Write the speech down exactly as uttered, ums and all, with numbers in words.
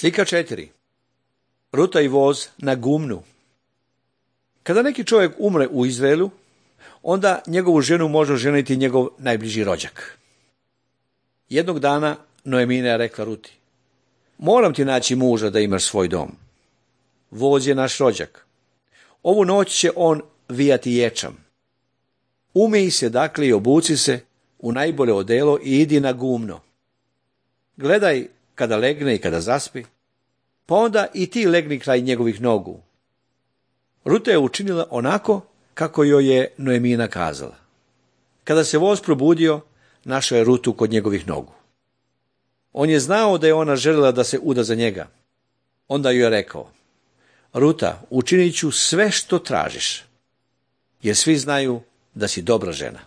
Slika četiri. Ruta i voz na gumnu. Kada neki čovjek umre u Izraelu, onda njegovu ženu može oženiti njegov najbliži rođak. Jednog dana Noemina je rekla Ruti: moram ti naći muža da imaš svoj dom. Voz je naš rođak. Ovu noć će on vijati ječam. Umij se dakle i obuci se u najbolje odelo i idi na gumno. Gledaj kada legne i kada zaspi, pa onda i ti legni kraj njegovih nogu. Ruta je učinila onako kako joj je Noemina kazala. Kada se voz probudio, našao je Rutu kod njegovih nogu. On je znao da je ona željela da se uda za njega. Onda joj je rekao: Ruta, učinit ću sve što tražiš, jer svi znaju da si dobra žena.